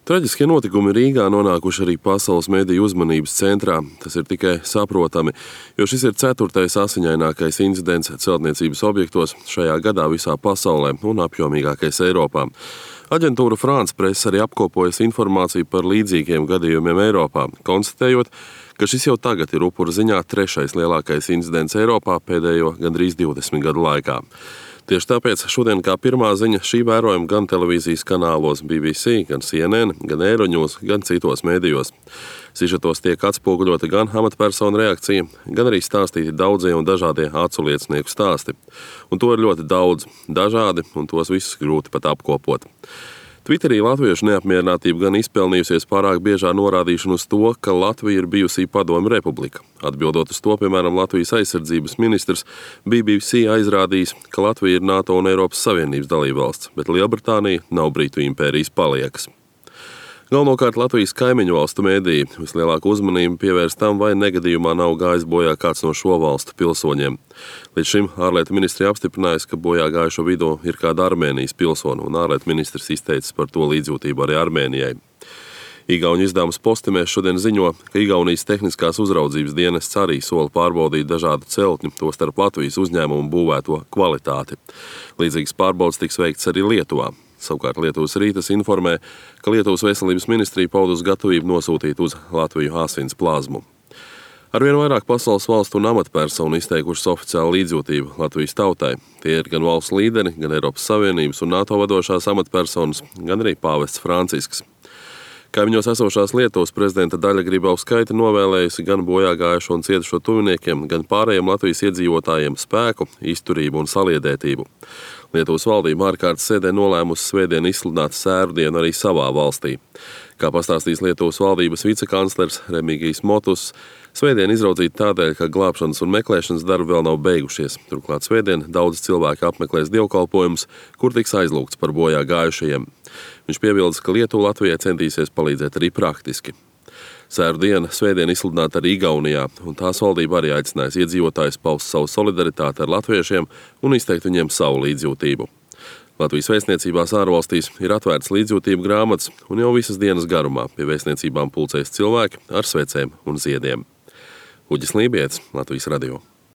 Traģiskie notikumi Rīgā nonākuši arī pasaules mediju uzmanības centrā. Tas ir tikai saprotami, jo šis ir 4. asiņainākais incidents celtniecības objektos šajā gadā visā pasaulē un apjomīgākais Eiropā. Aģentūra France Press arī apkopojas informāciju par līdzīgiem gadījumiem Eiropā, konstatējot, ka šis jau tagad ir upuru ziņā 3. lielākais incidents Eiropā pēdējo gandrīz 20 gadu laikā. Tieši tāpēc šodien kā pirmā ziņa šī vērojama gan televīzijas kanālos BBC, gan CNN, gan Euronews, gan citos mēdījos. Sižetos tiek atspoguļota gan amatpersonu reakcija, gan arī stāstīti daudzie un dažādie aculiecinieku stāsti. Un to ir ļoti daudz, dažādi, un tos visus grūti pat apkopot. Twitterī latviešu neapmierinātība gan izpelnījusies pārāk biežā norādīšanu uz to, ka Latvija ir bijusī padomju republika. Atbildot uz to, piemēram, Latvijas aizsardzības ministrs BBC aizrādījis, ka Latvija ir NATO un Eiropas Savienības dalībvalsts, bet Lielbritānija nav Britu impērijas paliekas. Galvenokārt Latvijas kaimiņu valstu mēdīji vislielāku uzmanību pievērst tam, vai negadījumā nav gājis bojā kāds no šo valstu pilsoņiem. Līdz šim ārlietu ministrija apstiprinājusi, ka bojā gājušo vidū ir kāda Armēnijas pilsona, un ārlietu ministrs izteicis par to līdzjūtību arī Armēnijai. Igauņu izdevums Postimēs šodien ziņo, ka Igaunijas tehniskās uzraudzības dienests arī sola pārbaudīt dažādu celtņu, tostarp Latvijas uzņēmumu būvēto kvalitāti. Līdzīgas pārbaudes tiks veikts arī Lietuvā. Savukārt Lietuvas Rītas informē, ka Lietuvas veselības ministrija paudus gatavību nosūtīt uz Latviju asins plazmu. Arvien vairāk pasaules valstu un amatpersonu izteikušas oficiālu līdzjūtību Latvijas tautai. Tie ir gan valsts līderi, gan Eiropas Savienības un NATO vadošās amatpersonas, gan arī pāvests Francisks. Kaimiņos esošās Lietuvas prezidenta Daļa Grybauskaite novēlējusi gan bojā gājušo un cietušo tuviniekiem, gan pārējiem Latvijas iedzīvotājiem spēku, izturību un saliedētību. Lietuvas valdība ārkārtas sēdē nolēmusi svētdien izsludināt sēru dienu arī savā valstī. Kā pastāstīs Lietuvas valdības vicekanclers Remigijs Motus, svētdien izraudzīta tādēļ, ka glābšanas un meklēšanas darbi vēl nav beigušies. Turklāt svētdien daudz cilvēki apmeklēs dievkalpojumus, kur tiks aizlūgts par bojā gājušajiem. Viņš piebildes, ka Lietuva Latvijai centīsies palīdzēt arī praktiski. Sēru diena svētdien izsludināta arī Igaunijā, un tās valdība arī aicinājis iedzīvotājus paust savu solidaritāti ar latviešiem un izteikt viņiem savu līdzjūtību. Latvijas vēstniecībās ārvalstīs ir atvērts līdzjūtību grāmatas, un jau visas dienas garumā pie vēstniecībām pulcēs cilvēki ar svecēm un ziediem. Uģis Lībietis, Latvijas radio.